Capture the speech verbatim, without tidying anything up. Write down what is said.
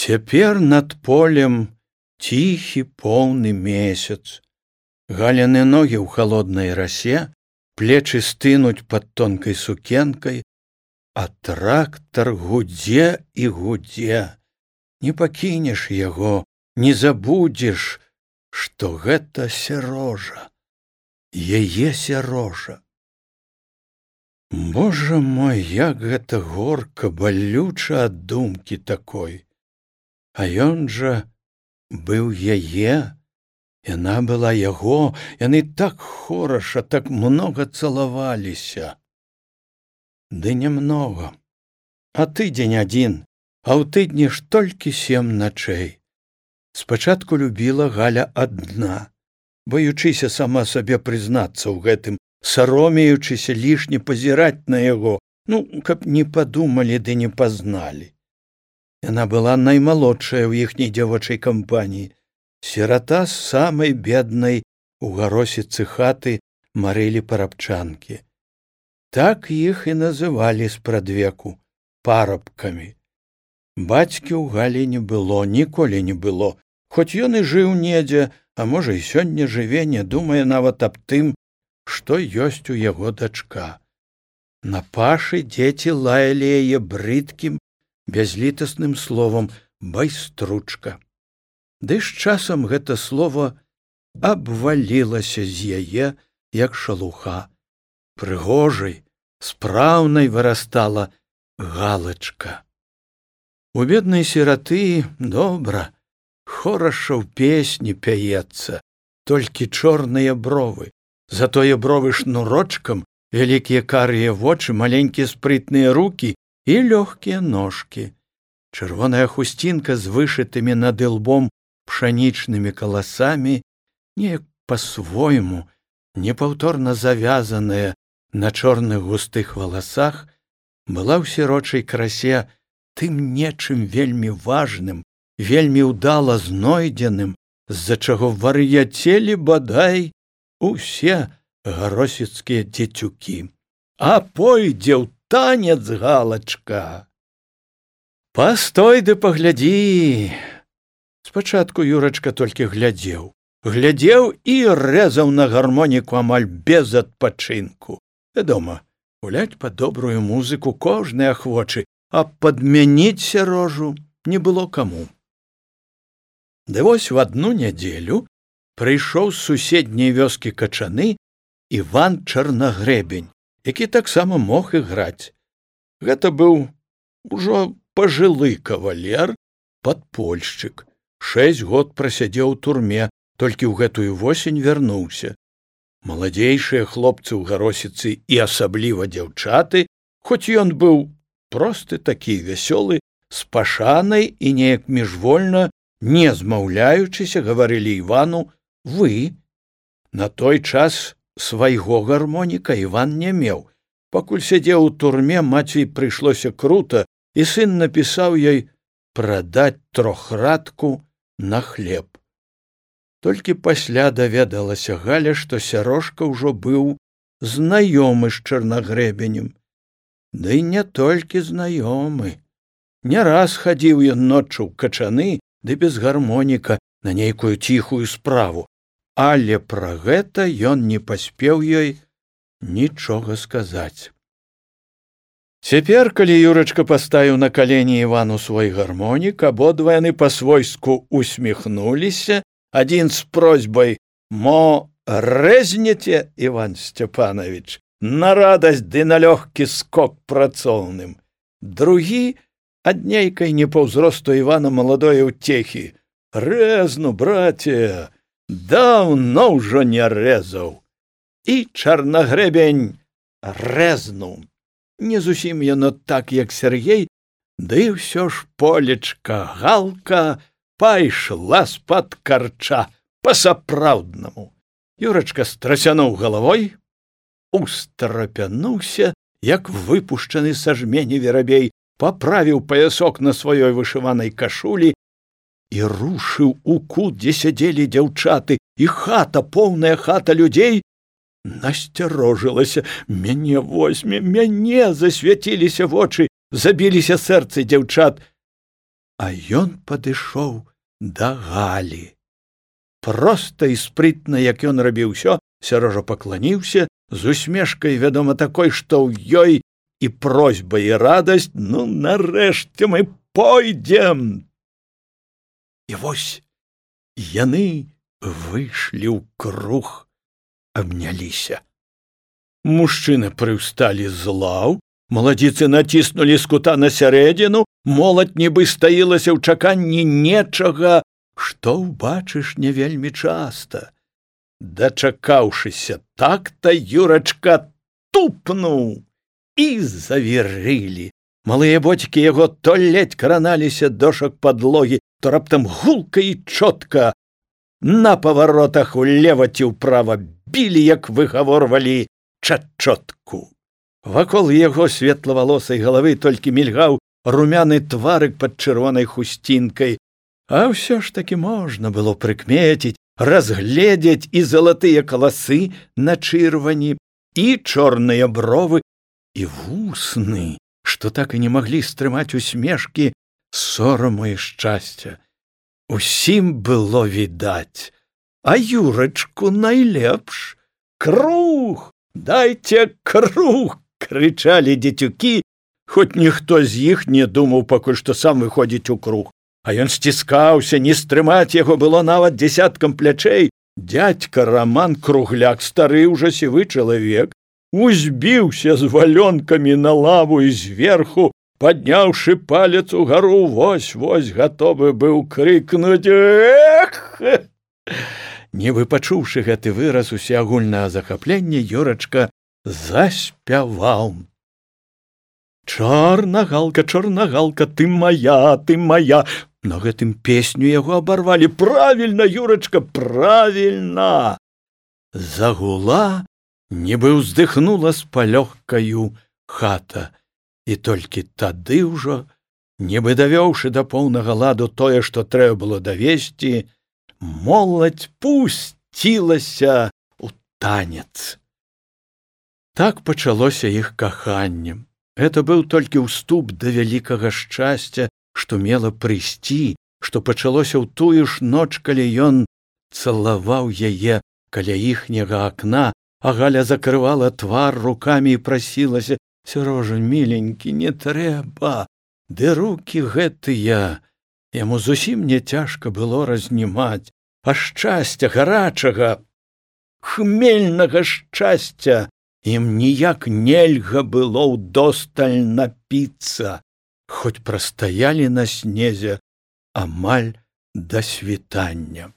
Цяпер над полем ціхі поўны месяц. Галяны ногі ў халоднай расе, плечы стынуць пад тонкай сукенкай, а трактар гудзе і гудзе. Не пакінеш яго, не забудзеш, што гэта Сярожа, яе Сярожа. Божа мой, як гэта горка, балюча ад думкі такой. А ён жа быў яе, яна была яго, яны так хораша, так многа цалаваліся. Ды немнога, а тыдзень адзін, а ў тыдні ж толькі сем начэй. Спачатку любіла Галя адна, баючыся сама сабе прызнацца ў гэтым, саромеючыся лішне пазіраць на яго, ну, каб не падумалі ды не пазналі. Яна была наймалодшая ў іхняй дзявочай кампаніі, сірата з самай беднай у гаросіцы хаты Марылі Парабчанкі. Так іх і называлі спрадвеку парабкамі. Бацькі ў Галі не было, ніколі не было, хоць ён і жыў недзе, а можа і сёння жыве, не думае нават аб тым, што ёсць у яго дачка. На пашы дзеці лаялі яе брыдкім, бязлітасным словам байстручка. Ды з часам гэта слово абвалілася з яе, як шалуха. Прыгожай, спраўнай вырастала Галачка. У беднай сіраты добра, хораша ў песні пяецца, толькі чорныя бровы, затое бровы шнурочкам, вялікія карыя вочы, маленькія спрытныя рукі і лёгкія ножкі. Чырвоная хусцінка з вышытымі над ілбом пшанічнымі каласамі, неяк па-свойму, непаўторна завязаная на чорных густых валасах, была ў сірочай красе тым нечым вельмі важным, вельмі ўдала знойдзеным, з-за чаго вар'яцелі бадай усе гаросіцкія дзецюкі. А пойдзе ў танец, Галачка. Пастой ды паглядзі. Спачатку Юрачка толькі глядзеў, глядзеў і рэзаў на гармоніку амаль без адпачынку. Вядома, гуляць пад добрую музыку кожны ахвочы, а падмяніць Сярожу не было каму. Ды вось в адну нядзелю прыйшоў з суседняй вёскі Качаны Іван Чарнагрэбень, які таксама мог іграць. Гэта быў ужо пажылы кавалер, падпольшчык. Шэсць год прасядзеў у турме, толькі ў гэтую восень вярнуўся. Маладзейшыя хлопцы ў гаросіцы і асабліва дзяўчаты, хоць ён быў просты такі вясёлы, з пашанай і неяк міжвольна, не змаўляючыся, гаварылі Івану «вы». На той час свайго гармоніка Іван не меў. Пакуль сядзеў у турме, маці прыйшлося крута, і сын напісаў ёй прадаць трохрадку на хлеб. Толькі пасля даведалася Галя, што Сярожка ўжо быў знаёмы з Чарнагрэбенем. Ды не толькі знаёмы. Не раз хадзіў ён ноччу ў Качаны, ды без гармоніка на нейкую ціхую справу, але пра гэта ён не паспеў ёй нічога сказаць. Цяпер, калі Юрачка паставіў на калені Івану свой гармонік, абодва яны па-свойску усміхнуліся, адзін з просьбай «Мо рэзнеце, Іван Сцяпанович, на радасць ды на лёгкі скок працоўным», другі ад нейкай не па ўзросту Івана маладое ўцехі «Рэзну, браце, даўно ўжо не рэзаў». І Чарнагрэбень рэзнуў. Не зусім яно так, як Сергей, ды ўсё ж полечка Галка пайшла з-пад карча па-сапраўднаму. Юрачка страсянуў галавой, устрапянуўся, як выпушчаны са жмені верабей, паправіў паясок на сваёй вышыванай кашулі і рушыў у кут, дзе сядзелі дзяўчаты, і хата, поўная хата людзей, насцярожылася. Мяне возьме, мяне, засвяціліся вочы, забіліся сэрцы дзяўчат. А ён падышоў да Галі. Проста і спрытна, як ён рабіў усё, Сярожа пакланіўся, з усмешкай, вядома, такой, што ў ёй і просьба, і радасць: ну, нарэшце мы пойдзем. І вось яны выйшлі ў круг, абняліся. Мужчыны прыўсталі з лаў, маладзіцы націснулі з кута на сярэдзіну, моладзь нібы стаілася ў чаканні нечага, што ўбачыш не вельмі часта. Дачакаўшыся так-то, Юрачка тупнуў, і завірылі. Малыя боцікі яго то ледзь краналіся дошак падлогі, то раптам гулка і чотка на паваротах улева ці ўправа білі, як выгаворвалі чачотку. Вакол яго светлавалосай галавы толькі мільгаў румяны тварык пад чырвонай хусцінкай, а ўсё ж такі можна было прыкмеціць, разгледзець і залатыя каласы на чырвані, і чорныя бровы, і вусны, што так і не маглі стрымаць усмешкі сораму і шчасця. Усім было відаць, а Юрачку найлепш. Круг! Дайце круг! Крычалі дзецюкі, хоць ніхто з іх не думаў пакуль што сам выходзіць у круг. А ён сціскаўся, не стрымаць яго было нават дзесяткам плячэй. Дядька Раман Кругляк, стары ўжо сівы чалавек, узбіўся з валёнкамі на лаву і зверху, падняўшы палец угару, вось-вось гатовы быў крыкнуць: эх! Нібы пачуўшы гэты выраз усеагульнага захаплення, Юрачка заспяваў: чорнагалка, чорнагалка, ты моя, ты моя. На гэтым песню яго абарвалі. Правільна, Юрачка, правільна. Загула, нібы ўздыхнула з палёгкаю хата. І толькі тады ўжо, нібы давёўшы да поўнага ладу тое, што трэба было давесці, моладзь пусцілася ў танец. Так пачалося іх каханне. Гэта быў толькі ўступ да вялікага шчасця, што мела прыйсці, што пачалося ў тую ж ноч, калі ён цалаваў яе каля іхняга акна, а Галя закрывала твар рукамі і прасілася: Сярожа, міленькі, не трэба. Ды рукі гэтыя яму зусім не цяжка было разнімаць, а шчасця гарачага, хмельнага шчасця ім ніяк нельга было ўдосталь напіцца, хоць прастаялі на снезе амаль да світання.